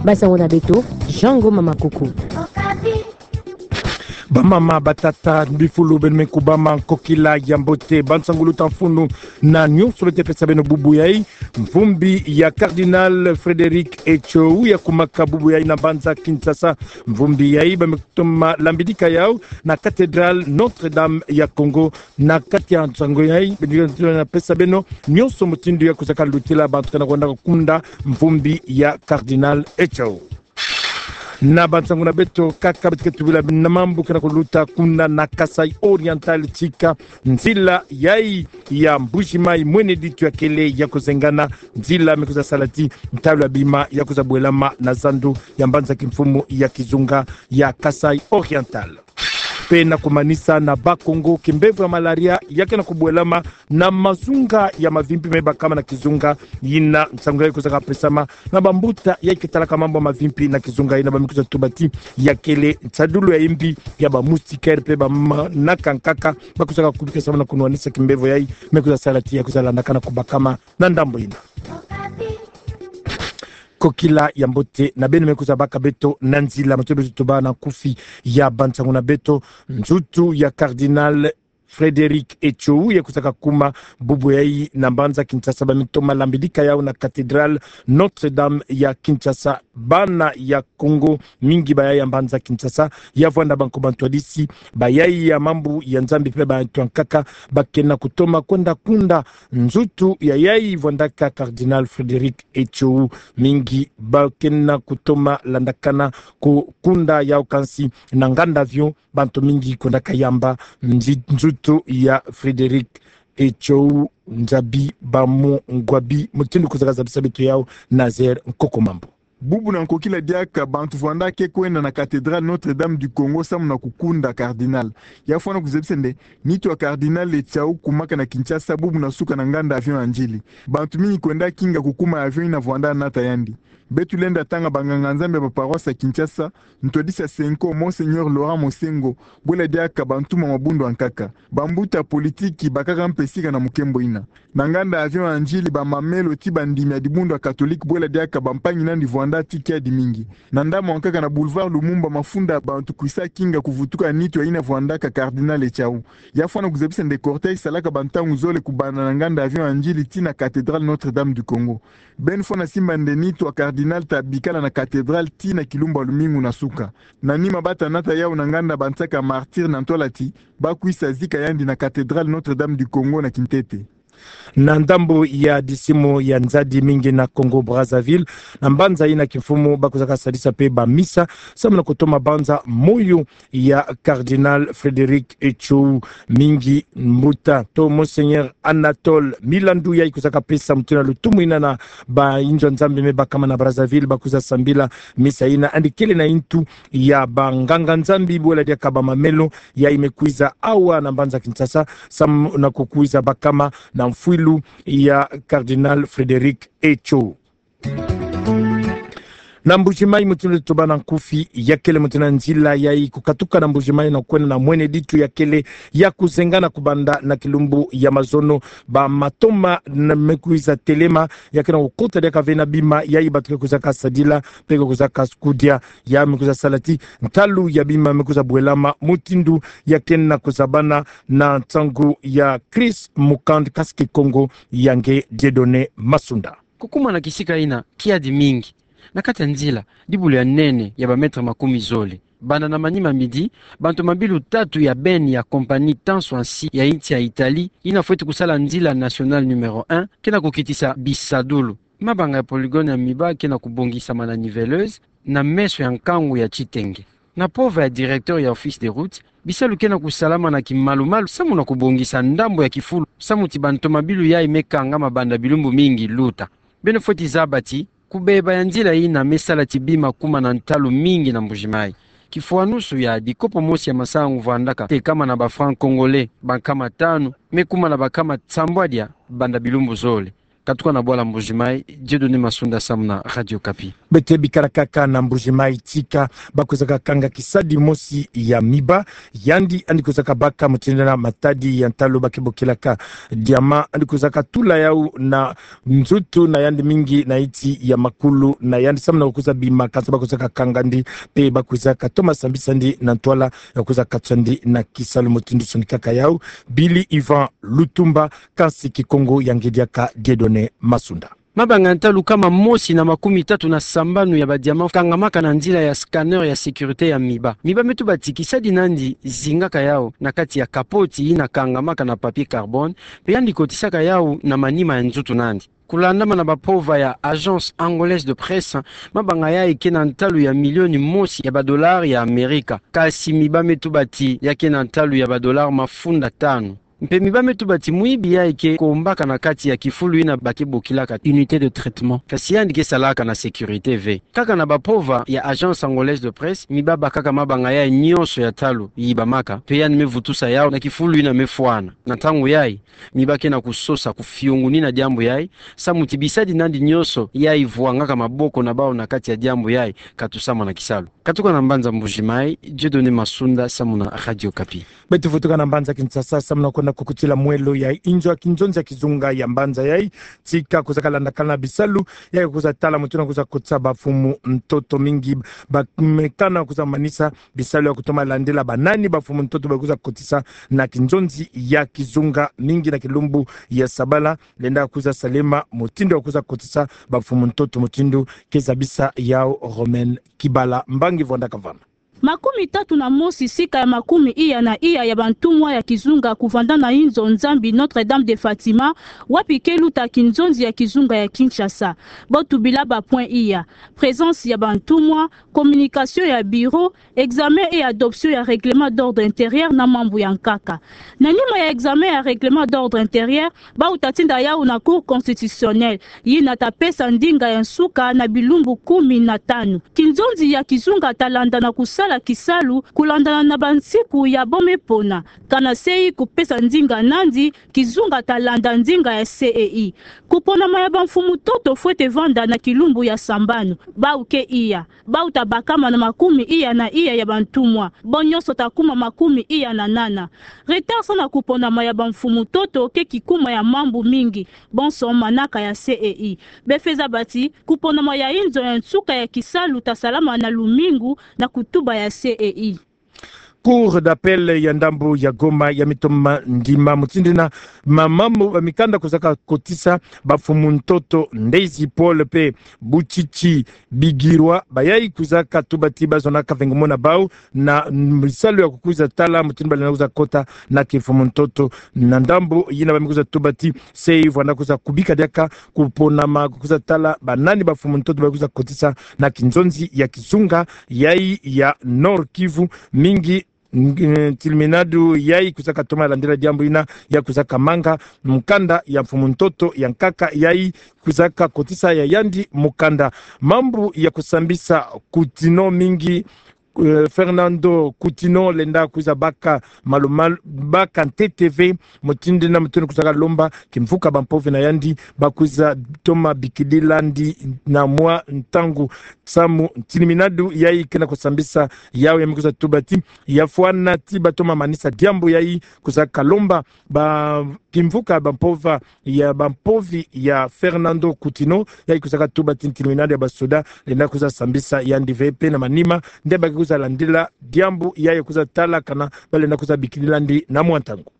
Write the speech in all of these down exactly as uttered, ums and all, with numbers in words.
Basango na beto, Jean Ngoma Makuku. Bamama, batata, bifulu, beno me kubama, nkokila ya mbote, bansangu luta mfunu na nyonso beto pesa beno bubu yayi. Mvumbi ya Cardinal Frédéric Etchou ya kumaka bubu yayi na mbanza Kinshasa. Mvumbi yayi ba me toma lambidika yawu na cathédrale Notre-Dame ya Congo. Na kati ya nsangu yayi, beno na pesa beno nyonso mutindu ya kuzaka lutila bantu kana kwenda kukunda mvumbi ya Cardinal Etchou. Na bansangu na beto kaka beto ke tubila beno na mambu kana kuluta kuna na Kasaï Oriental, tika nzila yayi ya Mbuji-Mayi mwene ditu ya kele ya kuzengana, nzila me kuza sala ti ntalu ya bima ya kuza bwelama na zandu ya mbanza kimfumu ya kizunga ya Kasaï Oriental. Pe na kumanisa na Bas-Congo, kimbevo ya malaria ya ke na kubwelama na mazunga ya mavimpi me bakama na kizunga yina. Nsangu yayi kuzaka pesama na bambuta yayi ke talaka mambu ya mavimpi na kizunga yina, ba me kuza tuba ti ya kele nsadulu ya yimbi ya ba moustiquaire pe ba manaka nkaka ba kuzaka kubikasama na kunwanisa kimbevo yayi me kuza sala ti ya kuza landakana kubakama na ndambu yina. Nkokila ya mbote na beno me kuza baka beto na nzila, matondo beto tobâ na nkufi ya bansangu na beto. Nzutu ya Cardinal Frédéric Etchou ya kuzaka kuma bubu yayi na mbanza Kinshasa, ba me toma lambidika yawu na cathédrale Notre-Dame ya Kinshasa. Bana ya Congo mingi bayayi ya mbanza Kinshasa, ya vwanda banko bantwadisi, bayayi ya mambu ya Nzambi pe bantu ya nkaka, ba ke na kutoma kwenda kunda nzutu yayi vwandaka Cardinal Frédéric Etchou. Mingi ba ke na kutoma landakana kukunda yawu, kansi na nganda avion bantu mingi kwendaka yamba nzi-, nzutu ya Frédéric Etchou. Nzabi bamu ngwabi mutindu kuzaka zabisa beto yawu, Nazaire Nkoko Mambu. Bubu na nkokila diaka bantu vwanda ke kwenda na cathédrale Notre-Dame du Congo samu na kukunda cardinal. Ya fwana kuzabisa nde nitu ya Cardinal Etchou kumaka na Kinshasa bubu na suka na nganda avion ya Ndjili. Bantu mingi kwenda kinga kukuma ya avion yina vwanda nata yandi. Beto lenda tanga banganga Nzambi ya ba paroisse ya Kinshasa, ntwadisi ya CENCO, Monseigneur Laurent Mosengo, bwela diaka bantuma mabundu ya nkaka. Bambuta politiki bakaka mpe sika na mukembo yina. Na nganda avion ya Ndjili, ba mamelo ti bandimi ya dibundu ya katolike bwela diaka bampangi nandi vwanda ti kiadi mingi. Na ndambu ya nkaka na boulevard Lumumba, mafunda ya bantu kwisa kinga kuvutuka nitu ya yina vwandaka cardinal Etchou. Ya fwana kuzabisa nde cortège salaka bantangu zole kubanda na nganda avion ya Ndjili tii na cathédrale Notre-Dame du Congo. Beno fwana simba nde nitu ya cardinal ta bikala na cathédrale tii na kilumbu ya lumingu na suka. Na nima ba ta nata yawu na nganda bansaka martyr na ntwala ti ba kwisa zika yandi na cathédrale Notre-Dame du Congo na kintete. Na ndambu ya disimu ya nzadi mingi na Congo Brazzaville, na mbanza yina kimfumu ba kuzaka sadisa mpe ba misa samu na kutoma banza moyo ya Cardinal Frédéric Etchou. Mingi mbuta to Monseigneur Anatole, milandu yayi kuzaka pesa mutindu na lutumu yina na bayinzo ya Nzambi me bakama na Brazzaville ba kwiza sambila misa yina, yandi kele na yintu ya banganga Nzambi bwela diaka ba mamelo yayi me kwiza awa na mbanza Kinshasa samu na kukwiza bakama na mfwilu ya Cardinal Frédéric Etchou. Na Mbuji-Mayi, mutindu tobâ na nkufi, ya kele mutindu na nzila yayi kukatuka na Mbuji-Mayi na kwenda na mwene ditu ya kele ya kuzengana kubanda na kilumbu ya mazono, ba matoma na me kwiza telema, ya ke na kukota diaka ve na bima yayi bato ke kwizaka sadila mpe ke kwizaka kudia. Ya me kwiza sala ti ntalu ya bima me kwiza bwelama mutindu ya ke na kuzabana na nsangu ya Chris Mukand, kasi Kikongo ya nge Dieudonné Masunda. Kukuma na kisika yina kiadi mingi. Na kati ya nzila, dibulu ya nene ya ba mètre makumi zole. Banda na manima midi, bantu mabilu tatu ya beni ya compagnie Tansoansi ya insi ya Italie, yina fweti kusala nzila nationale numéro un, ke na kukitisa bisadulu. Mabanga ya polygone ya miba ke na kubongisama na niveleuse, na meso ya nkangu ya titenge. Na mpova ya directeur ya Office des routes, bisalu ke na kusalama na kimalumalu samu na kubongisa ndambu ya kifulu, samu ti bantu mabilu yayi me kangama banda bilumbu mingi luta. Beno fweti zaba ti kubeba ya nzila yina me sala ti bima kuma na ntalu mingi na Mbuji-Mayi. Kifwanusu ya dikopo mosi ya masangu vwandaka tekama na ba francs congolais, ba nkama tanu, me kuma na ba nkama sambwadia banda bilumbu zole. Katuka na bwala Mbuji-Mayi, Dieudonné Massunda samu na Radio Okapi. Beto bikala kaka na Mbuji-Mayi, tika ba kwizaka kanga kisadi mosi ya miba, yandi yandi kwizaka baka mutindu na matadi ya ntalu ba ke bokilaka diamant, yandi kwizaka tula yau na nzutu na yandi mingi na iti ya makulu na yandi samu na kwiza bima, kansi ba kwizaka kanga yandi, mpe ba kwizaka toma sambisa yandi na ntwala ya kwiza katisa yandi na kisalu. Mutindu sonikaka yau Billy Yvan Lutumba, kansi Kikongo ya nge diaka Dieudonné Massunda. Mabanga ya ntalu kama mosi na makumi tatu na sambanu ya ba diamant kangamaka na nzila ya scanner ya sécurité ya miba. Miba me tuba ti kisadi na yandi zingaka yau na kati ya kapoti yina kangamaka na papier carbone, mpe yandi kotisaka yau na manima ya nzutu na yandi. Kulandamana na ba mpova ya Agence Angolaise de Presse, mabanga yai ke na ntalu ya milioni mosi ya ba dollars ya Amerika. Kansi miba me tuba ti ya ke na ntalu ya ba dollars mafunda tanu. Mpe miba me tuba ti mwibi yai ke kombaka na kati ya kifulu yina ba ke bokilaka unité de traitement, kansi yandi ke salaka na sécurité ve. Kaka na ba mpova ya Agence Angolaise de Presse, miba bakaka mabanga yai nyonso ya ntalu yibamaka, mpe yandi me vutusa yau na kifulu yina me fwana. Na ntangu yai, miba ke na kusosa, kufiongunina diambu yai, samu ti bisadi na yandi nyonso yai vwangaka maboko na bau na kati ya diambu yai ka tusamana kisalu. Katuka na mbanza Mbuji-Mayi, Dieudonné Massunda samu na Radio Okapi. Beto vutuka na mbanza Kinshasa samu na kwenda kukutila mwelo ya inzo ya kinzonzi ya kizunga ya mbanza yai. Tika kwizaka landakana bisalu ya kwiza tala mutindu na kwiza kotisa ba mfumu ntoto mingi, ba mekana kwiza manisa bisalu ya kutoma landila ba nani ba mfumu ntoto ba kwiza kotisa na kinzonzi ya kizunga mingi na kilumbu ya sabala. Lenda kwiza salema mutindu ya kwiza kotisa ba mfumu ntoto, mutindu ke zabisa yau Romaine Kibala, mbangi vwanda kavana. Makumi tatu na mosi sika ya makumi iya na iya ya bantumwa ya kizunga kuvanda na inzo Nzambi Notre-Dame de Fatima, wapi ke luta kinzonzi ya kizunga ya Kinshasa. Bo tubila ba points iya: présence ya bantumwa, communication ya bureau, examen et adoption ya règlement d'ordre intérieur na mambu ya nkaka. Na nima ya examen ya règlement d'ordre intérieur, bau ta tinda yau na Cour constitutionnelle, yina ta pesa ndinga ya nsuka na bilumbu kumi na tanu. Kinzonzi ya kizunga ta landa na kusala kisalu kulandana na bansiku ya bo me pona. Kana sei kupesa ndinga na yandi, kizunga ta landa ndinga ya C E I. Kuponama ya ba mfumu ntoto fwete vanda na kilumbu ya sambanu. Bau ke iya. Bau ta bakama na makumi iya na iya ya bantumwa. Bo nyonso ta kuma makumi iya na nana. Retard sa na kuponama ya ba mfumu ntoto ke kikuma ya mambu mingi. Bonso manaka ya C E I. Be feza bati, kuponama ya inzo ya nsuka ya kisalu ta salama na lumingu na kutuba ya C E I. Cour d'appel ya ndambu ya Goma ya me toma ndima mutindu na mamambu ba mikanda kwizaka kotisa ba mfumu ntoto Ndezi Paul mpe Butchitshi Bigirwa, bayai kwizaka tuba ti ba zonaka vengomo na bau na bisalu ya kukwiza tala mutindu ba lenda kwiza kota na kimfumu ntoto. Na ndambu yina ba me kwiza tuba ti sei vwanda kwiza kubika diaka kuponama kukwiza tala ba nani ba mfumu ntoto ba kwiza kotisa na kinzonzi ya kizunga yai ya Nord-Kivu mingi. Ng-, ntilimina du yai kwizaka toma landila diambu yina ya kwizaka manga mukanda ya mfumu ntoto ya nkaka yai kwizaka kotisa ya yandi mukanda. Mambu ya kusambisa Coutinho mingi, eh, Fernando Coutinho lenda kwiza baka malumalu, baka ntete ve mutindu na mutindu kwizaka lomba kimvuka ba mpovi na yandi ba kwiza toma bikidila yandi na mwa ntangu. Samu ntilimina du yai ke na kusambisa yau ya me kwiza tuba ti ya fwana ti ba toma manisa diambu yai kwizaka lomba ba kimvuka ba mpova ya ba mpovi ya Fernando Coutinho, yai kwizaka tuba ti ntilimina du ya ba soda lenda kwiza sambisa yandi ve mpe na manima nde ba ke kwiza landila diambu yai kwiza tala kana ba lenda kwiza bikidila yandi na mwa ntangu.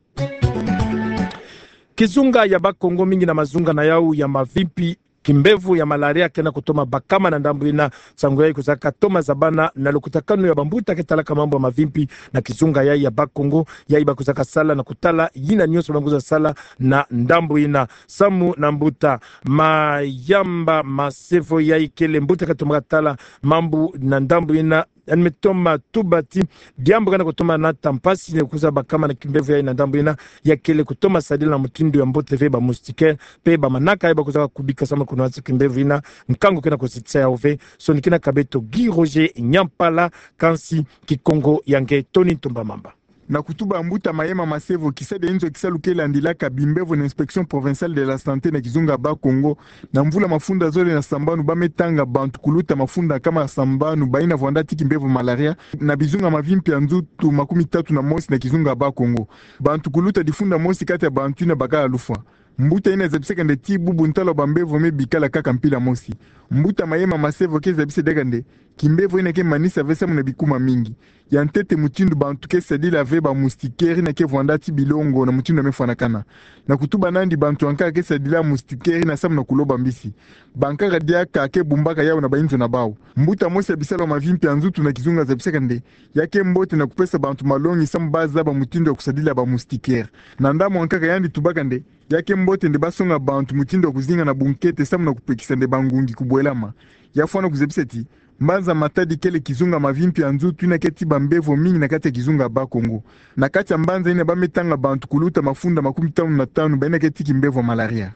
Kizunga ya Bas-Congo mingi na mazunga na yau ya mavimpi, kimbevo ya malaria ke na kutoma bakama na ndambu yina. Nsangu yai kwizaka toma zabana na lukutakanu ya bambuta ke talaka mambu ya mavimpi na kizunga yai ya Bas-Congo, yai ba kwizaka sala na kutala yina nyonso ba kwiza sala na ndambu yina. Samu na mbuta Mayamba Masevo, yai kele mbuta ke tomaka tala mambu na ndambu yina, yandi me toma tuba ti diambu ke na kutoma nata mpasi ni kwiza bakama na kimbevo yai na ndambu yina, ya kele kutoma sadila na mutindu ya mbote ve ba moustiquaire mpe ba manaka yai ba kwizaka kubika samu na kunwanisa kimbevo yina. Nkangu ke na kusitisa yau ve. Sonikinaka beto Guy Roger Nyampala, kansi Kikongo ya nge Tony Ntumba Mamba. Na kutuba Mbuta Mayema Masevo, kisalu ya inzo ya kisalu ke landilaka bimbevo na Inspection Provinciale de la Santé na kizunga Bas-Congo, na mvula mafunda zole na sambanu ba me tanga bantu kuluta mafunda nkama sambanu bayina vwanda ti kimbevo malaria, na bizunga mavimpi ya nzutu makumi tatu na mosi na kizunga Bas-Congo. Bantu kuluta difunda mosi kati ya bantu yina bakala lufwa. Mbuta yina zabisaka nde ti bubu ntalu ya bambevo me bikala kaka mpila mosi. Mbuta Mayema Masevo ke zabisa diaka nde kimbevo yina ke manisa ve samu na bikuma mingi. Ya ntete mutindu bantu ke sadila ve ba moustiquaire yina ke vwanda ti bilongo na mutindu ya me fwanakana. Na kutuba nandi bantu yankaka ke sadila moustiquaire yina samu na kuloba mbisi. Bankaka diaka ke bumbaka yawu na bainzo na bawu. Mbuta mosi ya bisalu ya mavimpi ya nzutu na kizunga zabisaka nde ya ke mbote na kupesa bantu malongi samu ba zaba mutindu ya kusadila ba moustiquaire. Na ndambu yankaka yandi tubaka nde ya ke mbote nde ba songa bantu mutindu ya kuzinga na bunkete samu na kupekisa nde bangungi kubwelama. Ya fwana kuzabisa ti mbanza Matadi kele kizunga mavimpi ya nzutu yina ke ti bambevo mingi na kati ya kizunga Bas-Congo. Na kati ya mbanza yina ba me tanga bantu kuluta mafunda makumi tanu na tanu bayina ke ti kimbevo malaria.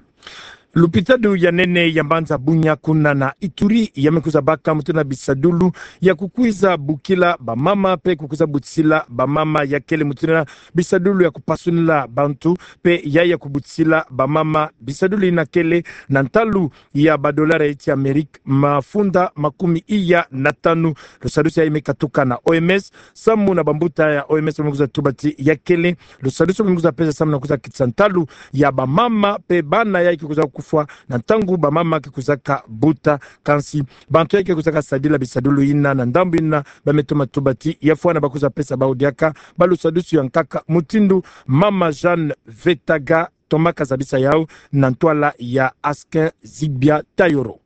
Lupitalu ya nene ya mbanza Bunia kuna na Ituri ya me kwiza baka mutindu na bisadulu ya kukwiza bukila bamama pe kukwiza butisila bamama ya kele mutindu na bisadulu ya kupasunila bantu pe ya ya kubutisila bamama. Bisadulu yina kele na ntalu ya badolari ya iti Amerika mafunda makumi iya na tanu. Lusadusu yayi me katuka na O M S, samu na bambuta ya O M S ba me kwiza tuba ti ya kele lusadusu ba me kwiza pesa samu na kwiza kitisa ntalu ya bamama pe bana yayi ke kwizaka kufwa na ntangu bamama ke kwizaka buta. Kansi bantu yayi ke kwizaka sadila bisadulu yina na ndambu yina ba me toma tuba ti ya fwana ba kwiza pesa bawu diaka ba lusadusu yankaka, mutindu Mama Jeanne Vetaga tomaka zabisa yawu na ntwala ya Askin Zibia Tayoro.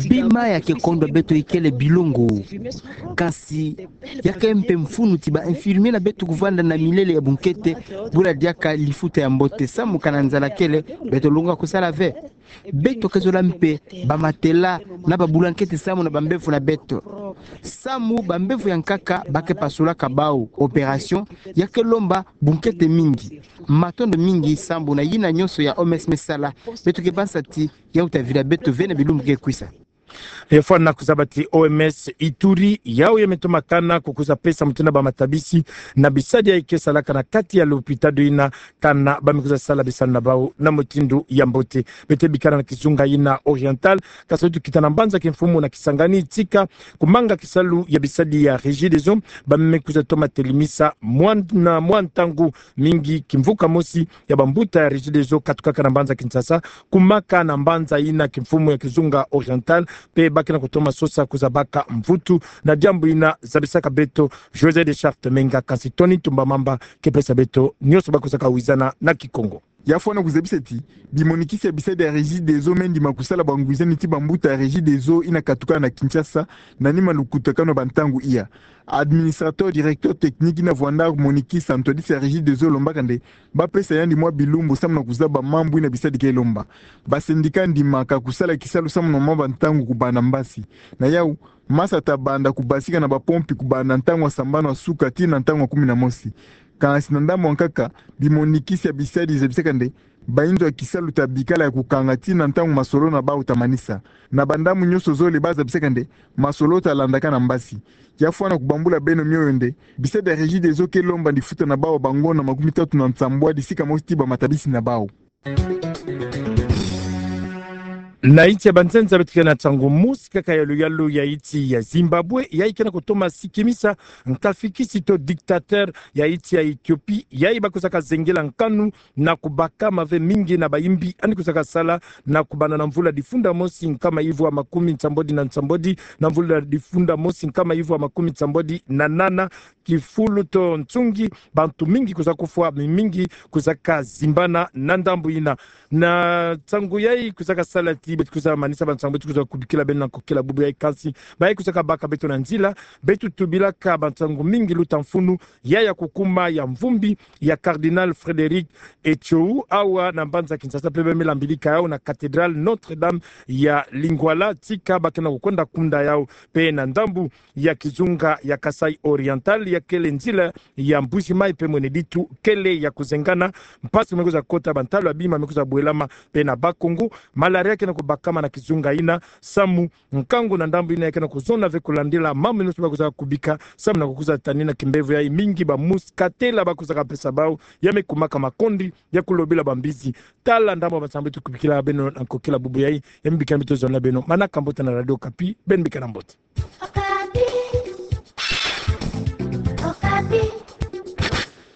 Bima ya ke kondwa beto ikele bilongo. Kansi ya ke mpe mfunu ti ba infirmier na beto kuvanda na milele ya bunkete, bula diaka lifuta ya mbote samu kana nzala kele, beto longoka kusala ve. Beto ke zola mpe ba matelas na ba blanketi samu na bambevo na beto. Samu bambevo yankaka ba ke pasulaka bawu, opération ya ke lomba bunkete mingi. Matondo mingi sambu na yina nyonso ya O M S me sala, beto ke bansa ti yawu ta vila beto ve na bilumbu ke kwisa. Ya fwana kuzaba ti O M S Ituri, yawu ya me toma kana kukwiza pesa mutindu na bamatabisi na bisadi yayi ke salaka na kati ya lupitalu yina, kana ba me kwiza sala bisalu na bawu na mutindu ya mbote. Beto bikana na kizunga yina Oriental, kasi tukita na mbanza Kimfumu na Kisangani, tika kumanga kisalu ya bisadi ya Regideso ba me kwiza toma telimisa mwa na mwa ntangu mingi kimvuka mosi ya bambuta ya Regideso katukaka na mbanza Kinshasa, kumaka na mbanza yina Kimfumu ya kizunga Oriental, pe ba ke na kutoma sosa kwiza baka mvutu na diambu yina. Zabisaka beto José de Charte Menga, kansi Tony Tumba Mamba ke pesa beto nyonso ba kwizaka wizana na Kikongo. Ya fwana kuzabisa ti bimonikisi ya bisadi ya Regideso me ndima kusala bangwizani ti bambuta ya Regideso yina katuka na Kinshasa, na nima lukutakanu ya bantangu iya. Administrateur directeur technique yina vwanda monikisa ntwadisi ya Regideso lombaka nde ba pesa yandi mwa bilumbu samu na kuzaba mambu yina bisadi ke lomba. Ba syndicat ndimaka kusala kisalu samu na mwa bantangu kubanda mbasi. Na yawu, masa ta banda kubasika na bapompi kubanda ntangu ya sambanu ya suka tii na ntangu ya kumi na mosi. Kansi na ndambu yankaka, bimonikisi ya bisadi zabisaka nde bainzo ya kisalu ta bikala ya kukanga tii na ntangu masolo na bawu ta manisa. Na bandambu nyonso zole ba zabisaka nde masolo ta landaka na mbasi. Ya fwana kubambula beno mioyo nde bisadi ya Regideso ke lomba ndifuta na bawu ya bangonda makumi tatu na nsambwadi sika mosi ti bamatabisi na bawu. Na insi ya banzenza beto ke na ntangu mosi kaka ya luyalu ya insi ya Zimbabwe, yayi ke na kutoma sikimisa nkafikisi to dictateur ya insi ya Ethiopie, yayi ba kwizaka zengela nkanu na kubaka mave mingi na bayimbi yandi kwizaka sala na kubanda na mvula difunda mosi nkama ivwa makumi nsambwadi na nsambwadi na mvula difunda mosi nkama ivwa makumi nsambwadi na nana, kifulu to nsungi, bantu mingi kwiza kufwa, mingi kwizaka zimbana na ndambu yina. Na nsangu yayi kwizaka sala ti beto kwiza manisa bansangu beto kwiza kubikila beno na nkokila bubu yayi, kansi bayi kwizaka baka beto na nzila, beto tubilaka bansangu mingi luta mfunu ya ya kukuma ya mvumbi ya Cardinal Frédéric Etchou awa na mbanza Kinshasa, pe ba me lambilika yawu na cathédrale Notre-Dame ya Lingwala, tika ba ke na kukwenda kunda yawu pe na ndambu ya kizunga ya Kasaï Oriental, ya kele nzila ya Mbuji-Mayi pe Mweneditu kele ya kuzengana. Mpasi me kwiza kota, bantalu ya bima me kwiza bwelama pe na Bas-Congo. Malaria ke na ku bakama na kizunga ina, samu nkangu na ndambu ina ya ke na kuzona ve kulandila mambu nyonso bakuza kubika, samu na kukuza tani na kimbevo yayi mingi ba mousse katela bakuza kapesa bau, ya me kumaka makondi ya kulobila bambizi. Tala ndambu mansambiti kubikila beno na nkokila bubu yayi, ya me bika mbi tozona beno manaka mbote na Radio Okapi, beno bika na mbote.